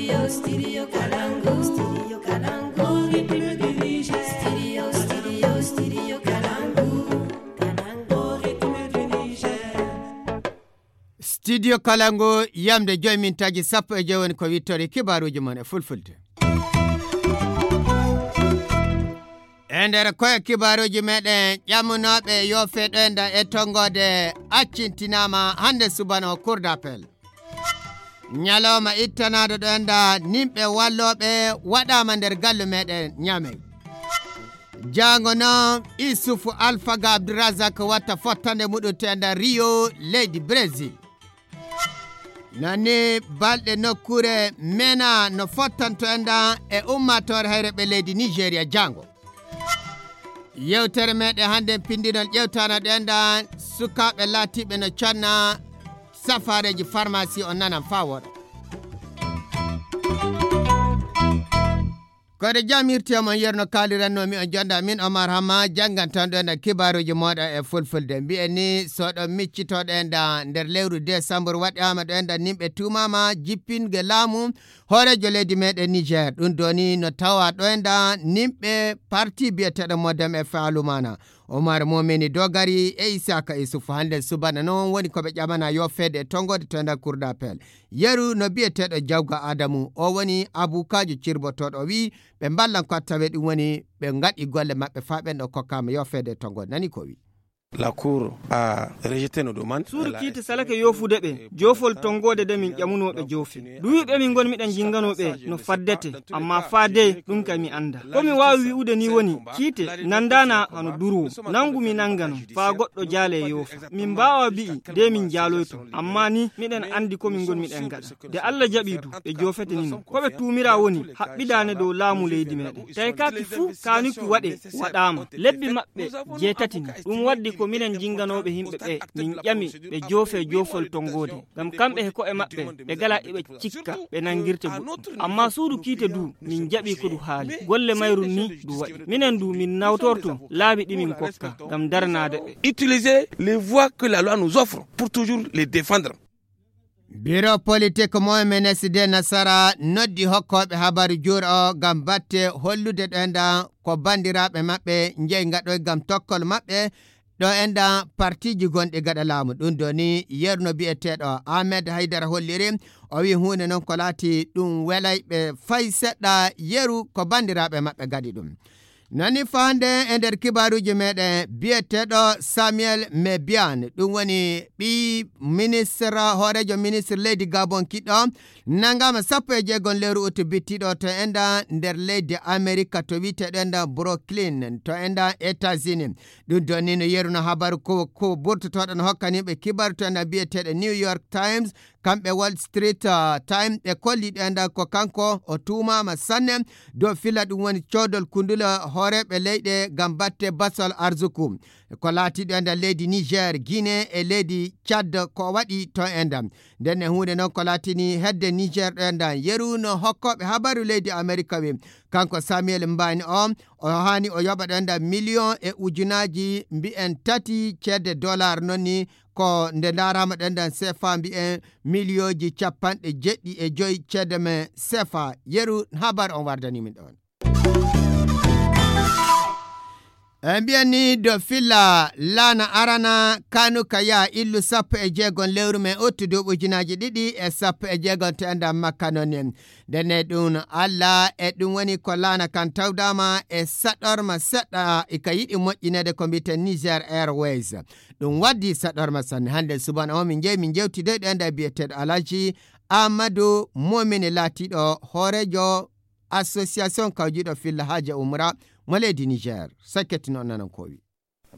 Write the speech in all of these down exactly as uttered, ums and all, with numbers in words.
Studio Kalangu, Studio Kalangu, Studio Kalangu, Kalangu, Kalangu, Studio Kalangu, yamde joy mintaaji sappo e joy woni ko wittore kibaaruuji mon e fulfulde. E nder koye kibaaruuji meɗen, ƴammunooɓe yo feɗoyda e tonngode accintinaama hannde subano Cour d'appel. Ñalawma ittanaaɗo ɗo enda nimɓe wallooɓe waɗaama nder gallu meɗen Ñaamey. Jaango noon, Isufu Alfaga Abdourazak watta fottande muɗum to enda Rio, leydi Brésil. Nani balɗe nokkuure mena no fottanto enda e ummaatoore hayre ɓe leydi Nigeria jaango. Yewtere meɗen hannde pindinol ƴewtana ɗo enda sukaaɓe laatiiɓe no conna safaareeji farmasi on nanan faa wooɗa. Koɗo jam hirti e mon yerno kaaliranno mi on jonda min Omar Hamma janngantan ɗo enda kibaaruuji mooɗa e fulfulde. Mbi'en ni so ɗo miccitoɗo enda nder lewru décembre waɗaama ɗo enda nimɓe tuumaama jippinge laamu hooreejo leydi meɗen Niger. Ɗum doni no tawa ɗo enda nimɓe parti biyeteɗo Modem e Faalumana. Omar Momeni Dogari e Isaka Isufu hannde subana noon woni ko ɓe ƴamana yo feede e tonngode to enda Cour d'appel. Yeru no biyeteɗo Jawga Adamu, o woni abukaajo cirbotoɗo, o wi ɓe mballan ko tawe ɗum woni ɓe ngaɗi golle maɓɓe faa ɓen ɗo kokkaama yo feede e tonngode. Nani ko wi. La Cour a rejeté nos demandes. Suudu kiite salake yoofude ɓe, joofol tonngode de min ƴamunoo ɓe joofe. Duuɓi ɓe min ngoni miɗen jinganoo ɓe no faddete, amma faade ɗum kay mi annda. Ko mi waawi wi'ude ni woni, kiite nandaana hano durwo. Nangu mi nangano, faa goɗɗo jaale e yoofa. Min mbaawa bi'i, de min jaaloyto. Amma ni, miɗen anndi ko min ngoni miɗen ngaɗa. De Alla jaɓii du, ɓe joofete ni non. Ko ɓe tuumira woni, haɓɓidaane dow laamu leydi meɗen. Tawi kaaki fuu kaanuki waɗe, waɗaama. Lebbi maɓɓe jeetati ni. Ɗum waddi ko minen jinganooɓe yimɓe ɓe, min ƴami ɓe joofe joofol tonngode. Ngam kamɓe he ko'e maɓɓe, ɓe gala eɓe cikka, ɓe nangirte goɗɗum. Amma suudu kiite du, min jaɓi ko du haali. Golle mayru ni du waɗi. Minen du, min nawtorto laabi ɗi min kokka, ngam daranaade ɓe. Utiliser les voies que la loi nous offre pour toujours les défendre. Biro politik mo M N S D Nasara noddi hokkooɓe habaru juura o ngam batte hollude ɗo enda ko banndiraaɓe maɓɓe njeyi ngaɗoy ngam tokkol maɓɓe ɗo enda partiiji gonɗi gaɗa laamu. Ɗum doni yeru no biyeteeɗo Ahmed Haydara holliri, o wi huunde noon ko laati ɗum welay ɓe fay seɗɗa yeru ko banndiraaɓe maɓɓe gaɗi ɗum. Nani faande e nder kibaaruuji meɗen biyeteeɗo Samuel Mebian, ɗum woni ɓii ministre, hooreejo ministre leydi Gabon kiɗɗo, nangama sappo e jeegom lewru utu bittiɗo to enda nder leydi Amerika to wiyeteɗo enda Brooklyn to enda États-Unis. Ɗum doni no yeru no habaru ko, ko burtotoɗo no hokkaniɓe kibaru to enda biyeteɗo New York Times, kamɓe Wall Street, ah, Times ɓe kolli ɗo enda ko kanko o tuumaama sanne dow filla ɗum woni coodol kundule hooreeɓe leyɗe ngam batte basol arzuku. Ko laati ɗo enda leydi Niger, Guinée e leydi Tchad ko waɗi to enda. Nden e huunde noon ko laatini hedde Niger ɗo enda yeru no hokkooɓe habaru leydi Amerika wi. Kanko Samuel Mbani o, o haani o yoɓa ɗo enda million e ujunaaji mbi'en tati ceede dollar noon ni ko nde ndaaraama ɗo enda sefa mbi'en miliyooji capanɗe jeɗɗi e joy ceede men sefa. Yeru habar on wardani min ɗon. E mbiyan ni do filla laana arana kanu ka yaa illu sappo e jeegom lewru men uttu duuɓi ujunaaji ɗiɗi e sappo e jeegom to enda makka noon ni. Ndenne ɗum Alla e ɗum woni ko laana kan tawdaama e saɗorma seɗɗa e ka yiɗi moƴƴineede ko mbiyeten Niger Airways. Ɗum waddi saɗorma sanne. Hannde subana o min njeyi min njewtidoyɗo e nder biyeteeɗo Alhaji Amadou Momini laatiiɗo hooreejo association kawjiiɗo filla haaja umra mo leydi Niger. Sakketino nanan ko o wi.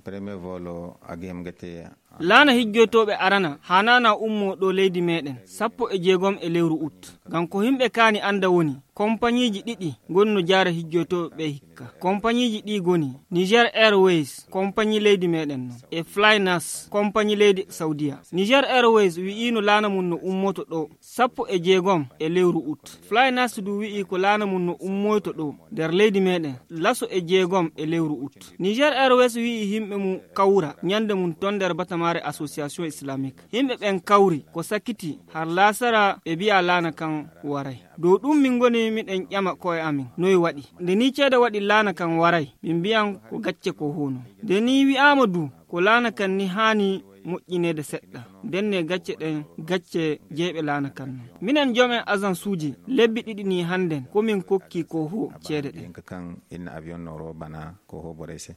Premier volo agem gete. Laana hijjoytooɓe arana haanaana ummoo ɗo leydi meɗen sappo e jeegom e lewru ut. Ngam ko yimɓe kaani annda woni, kompañiiji ɗiɗi ngoni no jaara hijjoytooɓe ɓe hikka. Kompañiiji ɗi ngoni Niger Airways, kompañi leydi meɗen non, e Flynas, kompañi leydi Saudiya. Niger Airways wi'iino laana mum no ummoto ɗo sappo e jeegom e lewru ut. Flynas du wi'i ko laana mum no ummoyto ɗo nder leydi meɗen laso e jeegom e lewru ut. Niger Airways wi'i yimɓe mum kawra ñande mum ton nder bata Mare Association Islamique. Yimɓe ɓen kawri ko sakiti har laasara ɓe mbiya laana kan waray. Dow ɗum min ngoni miɗen ƴama ko'e amin noy waɗi. Nde ni ceede waɗi laana kan waray, min mbiyan ko gacce ko hono. Nde ni wi'aama du ko laana kan ni haani moƴƴineede seɗɗa. Nden ne gacce ɗen gacce jeyɓe laana kan non. Minen jom'en agensuuji lebbi ɗiɗi ni hannden ko min kokki ko ho ceede ɗen. Kan inna avion noro bana ko ho borey se.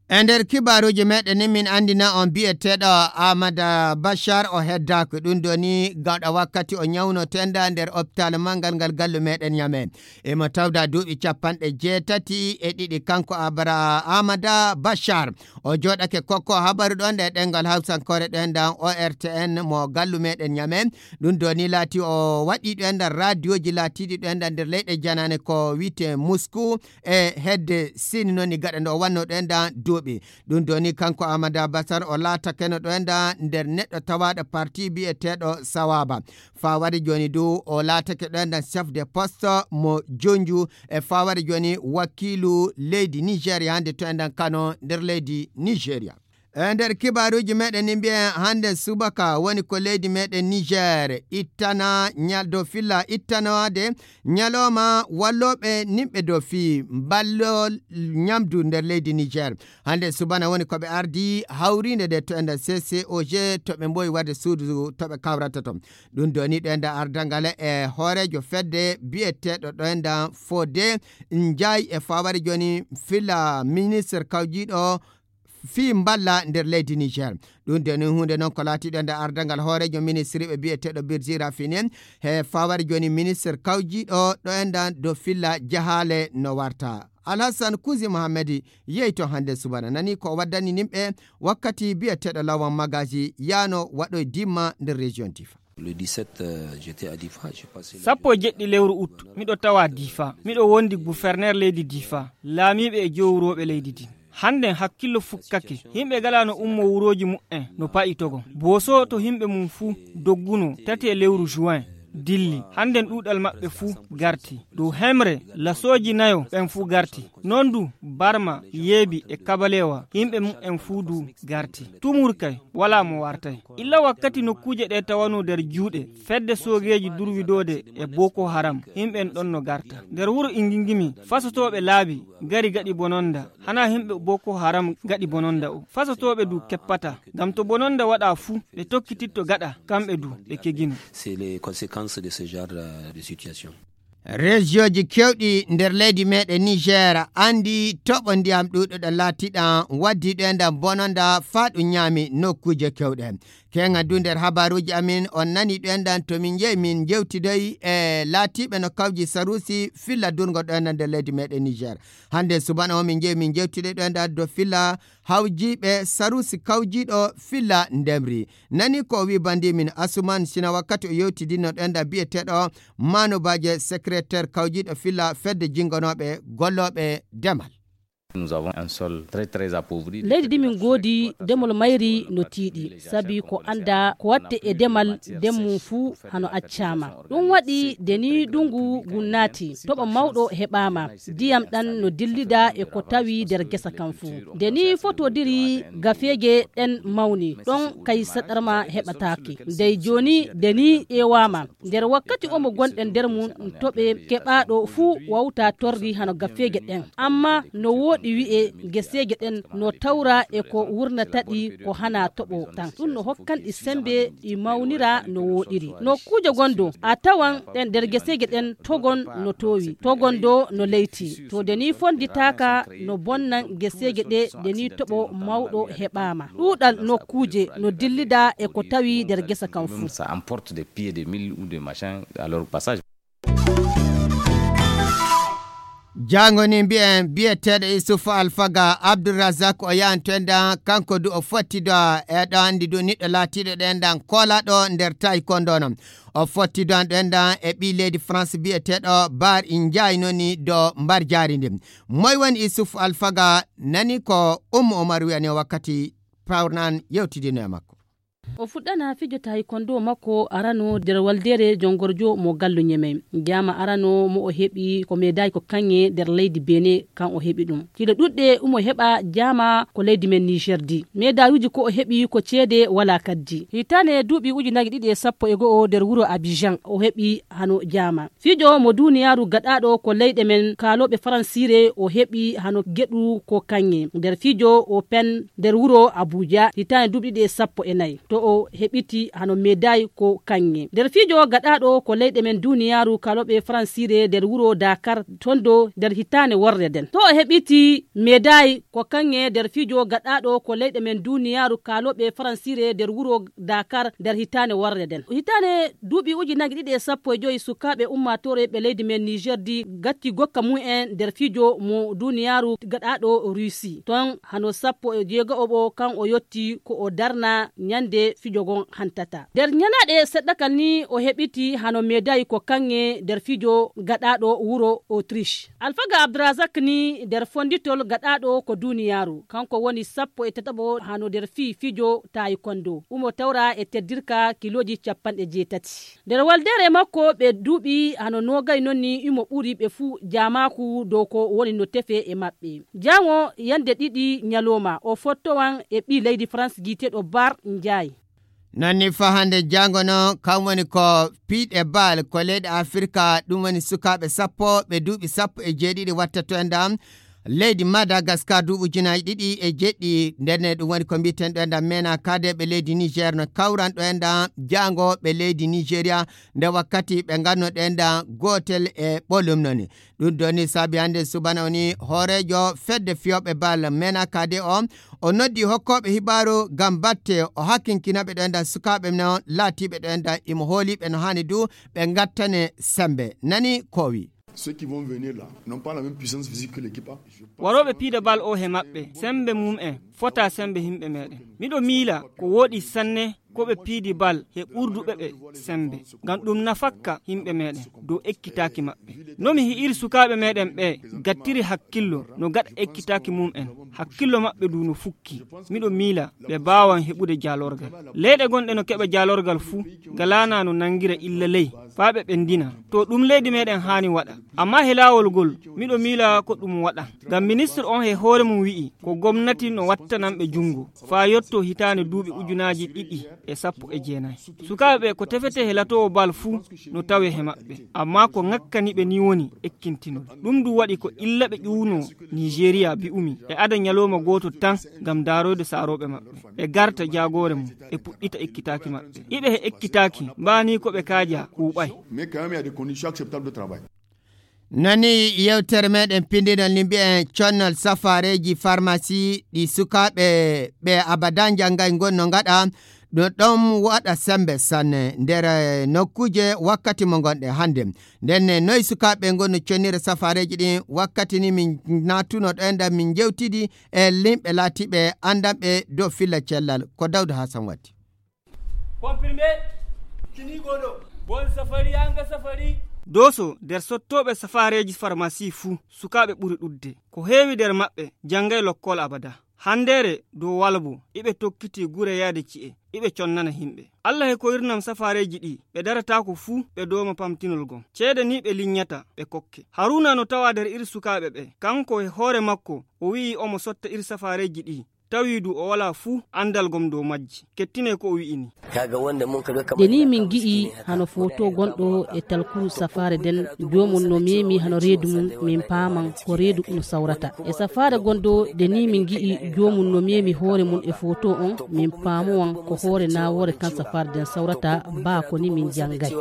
E nder kibaaruuji meɗen ni min anndina on bi'eteeɗo Amada Bachar o heddaaki ɗum ɗo ni gawɗa wakkati o ñawno tenda nder opitaal manngal ngal gallu meɗen Ñame. Emo tawda duuɓi capanɗe jeetati e ɗiɗi kanko Abra Amada Bachar. O jooɗake kokko habaru ɗon ɗe ɗengal Hawsankoore ɗoen ɗan O R T N mo gallu meɗen Ñame. Ɗum ɗo ni laati o waɗi ɗoen ɗan radioji laatiɗi ɗoen ɗan nder leyɗe janane ko wi'ete Moscou e hedde Sini non ni gaɗa nde o wanno ɗoen ɗan duuɓi. Ɗum ɗo ni kanko Amada Bachar o laatakeno ɗoen ɗan nder neɗɗo tawaɗo parti bi'eteɗo Sawaba. Fawade joni du o laatake ɗoen ɗan chef de poste mo Jonju e fawade joni wakiilu leydi Nigeria hande to enɗan Kano nder leydi Nigeria. E nder kibaaruuji meɗen ni mbiyen hande subaka woni ko leydi meɗen Niger ittana ñal-, dow filla ittanoade ñalawma wallooɓe nimɓe dow fii ballol ñamdu nder leydi Niger. Hande subana woni ko ɓe ardi hawrinde nde to enɗan C C O G to ɓe mboyi wadde suudu to ɓe kawrata ton. Ɗum ɗo ni ɗo enɗan ardangal e hooreejo fedde bi'eteeɗo ɗo enɗan Fode Njaay e fawade joni filla ministre kawjiiɗo fii mballa nder leydi Niger. Ɗum de ni huunde noon ko laatiɗo nder ardangal hooreejo ministriiɓe bi'eteeɗo Birji Rafini he fawade joni ministre kawjiiɗo ɗo enɗan dow filla jahaale no warta. Alhassan Kuzi Mohammedi yehi to hande subana nani ko o waddani nimɓe wakkati bi'eteeɗo Lawan Magaji yaano waɗoy dimma nder région Difa. Le dix-sept, euh, j'étais à Difa, j'ai passé le sappo e jeɗɗi lewru ut miɗo tawa Difa, miɗo wondi gouverneur leydi Difa, laamiiɓe e jowrooɓe leydi din. Hannden hakkillo fukkake, yimɓe gala no ummo wurooji mu'en no pa'i togon. Booso to yimɓe mum fuu dogguno tati e lewru juin dilli, hannden ɗuuɗal maɓɓe fuu garti. Dow hemre lasooji nayo ɓen fuu garti. Non du Barma, Yeebi e Kabalewa yimɓe mu'en fuu du garti. Tumur kay walaa mo wartay. Illa wakkati nokkuuje ɗe tawano nder juuɗe fedde soogeeji durwidoode e Boko Haram, yimɓen ɗon no garta. Nder wuro Ingingimi, fasotooɓe laabi gari gaɗi bononda, hanaa yimɓe Boko Haram gaɗi bononda o. Fasotooɓe du keppata, ngam to bononda waɗa fuu, ɓe tokkititto gaɗa, kamɓe du ɓe kegino. C'est les conséquences de ce genre, euh, de situation. Rejiyoji kewɗi nder leydi meɗen Niger andi toɓo ndiyam ɗuɗuɗo laatiɗam waddi ɗo enɗan bononda faa ɗum ñaami nokkuuje kewɗe. Keŋa du nder habaruuji amin on nani ɗo enɗan to min njehi min jewtidoyi e laatiiɓe no kawji saruusi filla durgo ɗo enɗan nder leydi meɗen Niger. Hande subana o min njehi min jewtidoyi ɗo enɗan do filla hawjiiɓe saruusi kawjiiɗo filla ndemri. Nani ko o wi bandi min Asuman Sina wakkati o yewtidinno ɗo enɗan bi'eteeɗo Manu Baje, secrétaire kawjiiɗo filla fedde jingonooɓe gollooɓe demal. Nous avons un sol très, très appauvri. Leydi ndi min ngoodi demol mayri no tiiɗi, sabi ko annda ko waɗte e demal, ndemmu fuu hano accaama. Ɗum waɗi nde ni ndungu ngun naati, toɓo mawɗo heɓaama, ndiyam ɗan no dillida e ko tawi nder gesa kan fuu. Nde ni fotodiri gafeeje ɗen mawni, ɗon kay saɗarma heɓataake. Ndey jooni nde ni ƴeewaama, nder wakkati omo gonɗen nder mum, toɓe keɓaaɗo fuu wawta torri hano gafeeje ɗen. Amma no wooɗi wi'e geseeje ɗen no tawra e ko wurnata ɗi ko hana toɓo tan. Ɗum no hokkan ɗi sembe ɗi mawnira no wooɗiri. Nokkuuje gonɗo a tawan ɗen nder geseeje ɗen togon no toowi, togon do no leyti. To nde ni fonditaaka no bonnan geseeje ɗe nde ni toɓo mawɗo heɓaama. Ɗuuɗal nokkuuje no dillida e ko tawi nder gesa kan fuu. Ça emporte des pieds de mil ou de machin à leur passage. Jaango ni mbiyen biyeteeɗo Isufu Alfaga Abdourazak o yahanto enɗan kanko du o fottido e ɗo anndi du niɗɗo laatiiɗo ɗo enɗan koolaɗo nder taekwondo non. O fottido an ɗo enɗan e ɓii leydi France biyeteeɗo Bar Ndiaye noni do mbar jaari ndi. Moy woni Isufu Alfaga? Nani ko Ummu Omar wiyani o wakkati pawrnan yewtidino e makko. O fuɗɗana fijo taekwondo makko arano nder waldeere jongorjo mo gallo Ñemey. Jaama arano mo o heɓi ko meedaay ko kaŋŋe nder leydi Bene, kan o heɓi ɗum. Ciiɗe ɗuɗɗe umo heɓa jaama ko leydi men Niger di. Meedaayuuji ko o heɓi ko ceede wala kaddi. Hitaane duuɓi ujunaaji ɗiɗi e sappo e go'o nder wuro Abidjan o heɓi hano jaama. Fijo mo duniyaaru gaɗaaɗo ko leyɗe men kaalooɓe faransiire o heɓi hano geɗu ko kaŋŋe nder fijo o pen nder wuro Abuja hitaande duuɓi ɗiɗi e sappo e nayi. To o heɓiti hano meedaay ko kaŋŋe nder fijo gaɗaaɗo ko leyɗe men duniyaaru kaalooɓe faransiire nder wuro Dakar tondo nder hitaande worre nden. To o heɓiti meedaay ko kaŋŋe nder fijo gaɗaaɗo ko leyɗe men duniyaaru kaalooɓe faransiire nder wuro Dakar nder hitaande worre nden. Hitaande duuɓi ujunaaji ɗiɗi e sappo e joyi sukaaɓe ummaatoore ɓe leydi men Niger di gatti gokka mum en nder fijo mo duniyaaru gaɗaaɗo Russie. Ton hano sappo e jeego'o kan o yotti ko o darna ñande fijo gon hantata. Nder ñanaaɗe seɗɗa kan ni o heɓiti hano meedaay ko kaŋŋe nder fijo gaɗaaɗo wuro Autriche. Alfaga Abdourazak ni nder fonditol gaɗaaɗo ko duniyaaru. Kanko woni sappo e tataɓo hano nder fii fijo taekwondo. Umo tawra e teddirka kilooji capanɗe jeetati. Nder waldeere makko ɓe duuɓi hano noogay non ni imo ɓuri ɓe fuu jaamaaku dow ko woni no tefe e maɓɓe. Jaŋo yande ɗiɗi ñalooma o fottowan e ɓii leydi France giiteeɗo Bar Njaay. Non ni faa hannde jaŋgo noon kam woni ko piiɗe bal ko leyɗe Afirka, ɗum woni sukaaɓe sappo ɓe duuɓi sappo e jeeɗiɗi watta to enɗam leydi Madagaskar duuɓi ujunaaji ɗiɗi e jeeɗiɗi. Ndenne ɗum woni ko mbiyeten ɗo enɗam mena kaadeeɓe leydi Niger no kawran ɗo enɗam jaŋgo ɓe leydi Nigeria nde wakkati ɓe nganno ɗo enɗam gootel e ɓolum noni. Ɗum ɗo ni saabi hannde subana o ni hooreejo fedde fiyooɓe bal mena kade o o noddi hokkooɓe hibaaru ngam batte o hakkinkinaɓe ɗo enɗam sukaaɓe no laatiiɓe ɗo enɗam imo hooliɓe no haani du ɓe ngattane sembe nani ko o wi. Ceux qui vont venir là n'ont pas la même puissance physique que l'équipe A. Warooɓe piida bal o he maɓɓe sembe mum en fota sembe yimɓe meɗen. Miɗo miila ko wooɗi sanne ko ɓe piidi bal he ɓurduɓe ɓe sembe ngam ɗum nafakka yimɓe meɗen dow ekkitaaki maɓɓe. No mi hi'iri sukaaɓe meɗen ɓe gattiri hakkillo no gaɗa ekkitaaki mum en, hakkillo maɓɓe du no fukki. Miɗo miila ɓe baawan heɓude jaalorgal. Leyɗe gonɗe no keɓa jaalorgal fuu ngalaana no nangira illa ley faa ɓe ɓendina. To ɗum leydi meɗen haani waɗa. Amma he laawol ngol miɗo miila ko ɗum waɗa. Ngam ministre on he hoore mum wi'i ko gomnati no wattanan ɓe junngo faa yotto hitaande duuɓi ujunaaji ɗiɗi e sappo e jeenayi. Sukaaɓe ɓe ko tefete he latoowo bal fuu no tawe he maɓɓe. Amma ko ŋakkani ɓe ni woni ekkintinol. Ɗum du waɗi ko illa ɓe ƴuwno Nigeria bi'umi e ada ñalooma gooto tan ngam daaroyde saarooɓe maɓɓe. Ɓe garta jaagoore mum ɓe puɗɗita ekkitaaki maɓɓe. Iɓe he ekkitaaki mbaani ko ɓe kaaja kuuɓay. Mais quand même, il y a des conditions acceptables de travail. Nani yewtere meɗen pindinol ni mbiyen connol safareji farmasi ɗi sukaaɓe ɓe abada njanngay ngon no ngaɗa ɗum ɗon waɗa sembe sanne nder eh, nokkuuje wakkati mo ngonɗe hannde. Nden ne noy sukaaɓe ngon no connira safareji ɗin wakkati ni min natuno ɗo enɗan min jewtidi e limɓe laatiɓe anndanɓe dow filla cellal ko Dawda Hasan watti. Comprimé kinigo ɗo. Bon safari anga safari. Doso nder sottooɓe safareeji farmasi fuu sukaaɓe ɓuri ɗudde. Ko heewi nder maɓɓe janngay lokkol abada. Hanndeere dow walbo iɓe tokkiti gure yaade ci'e iɓe connana himɓe. Allah e ko irnam safareeji ɗi ɓe darataako fuu ɓe dooma pamtinol gom. Ceede ni ɓe linyata ɓe kokke. Haruna no tawa nder ir sukaaɓe ɓe. Kanko e hoore makko o wi'i omo sotta ir safareeji ɗi. Tawi du o walaa fuu anndal gom dow majji. Kettine ko o wi'ini. Nde ni min gi'i hano foto gonɗo e talkuru safaare nden, joomum no memi hano reedu mum, min paaman ko reedu no sawrata. E safaare gonɗo nde ni min gi'i joomum no memi hoore mum e foto on, min paamowan ko hoore nawoore kan safaare nden sawrata, baa ko ni min janngay.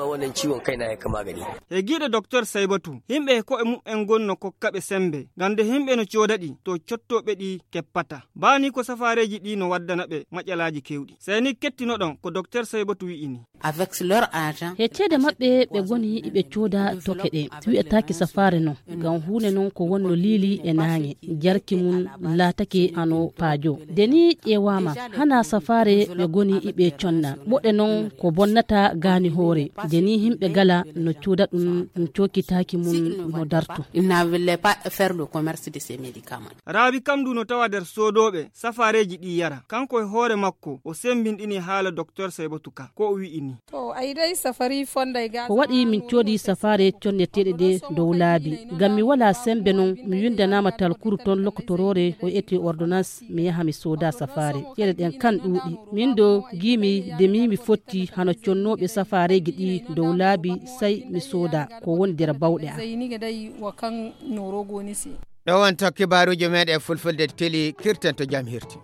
E giiɗe Doktor Saybatu, himɓe e ko'e muɓɓen gon no kokka ɓe sembe, ngam nde himɓe no cooda ɗi, to cottooɓe ɗi keppata. Baa ni ko safaareeji ɗi no waddana ɓe maƴalaaji kewɗi. Sey ni kettinoɗon ko Doktor Saybatu wi'ini. Avec leur argent. He ceede maɓɓe ɓe goni iɓe cooda toke ɗe. Wi'ataake safaare non, ngam huunde non ko wonno liili e naange. Jarki mum laatake hano paajo. Nde ni ƴeewaama, hana safaare ɓe goni iɓe conna. Moɗe non ko bonnata gaani hoore. Nde ni himɓe gala no cooda ɗum, ɗum cookitaaki mum no darto. Ils ne voulaient pas faire le commerce de ces médicaments. Raabi kam du no tawa nder soodooɓe safaareeji ɗi yara. Kanko e hoore makko o semmbinɗini haala doktor Saybatu Ka, ko o wi'i ni. Ko waɗi min coodi safaare conneteeɗe ɗe dow laabi. Ngam mi walaa semmbe non, mi winndanaama talkuru ton lokotoroore o eti ordonnance, mi yaha mi sooda safaare. Ceede ɗen kan ɗuuɗi. Min do giimi de mi mi fotti hano connooɓe safaareeji ɗi dow laabi, sey mi sooda ko woni nder bawɗe am. Ɗo wonto kibaaruuji meeɗen fulfulde teli kirten to jam hirti.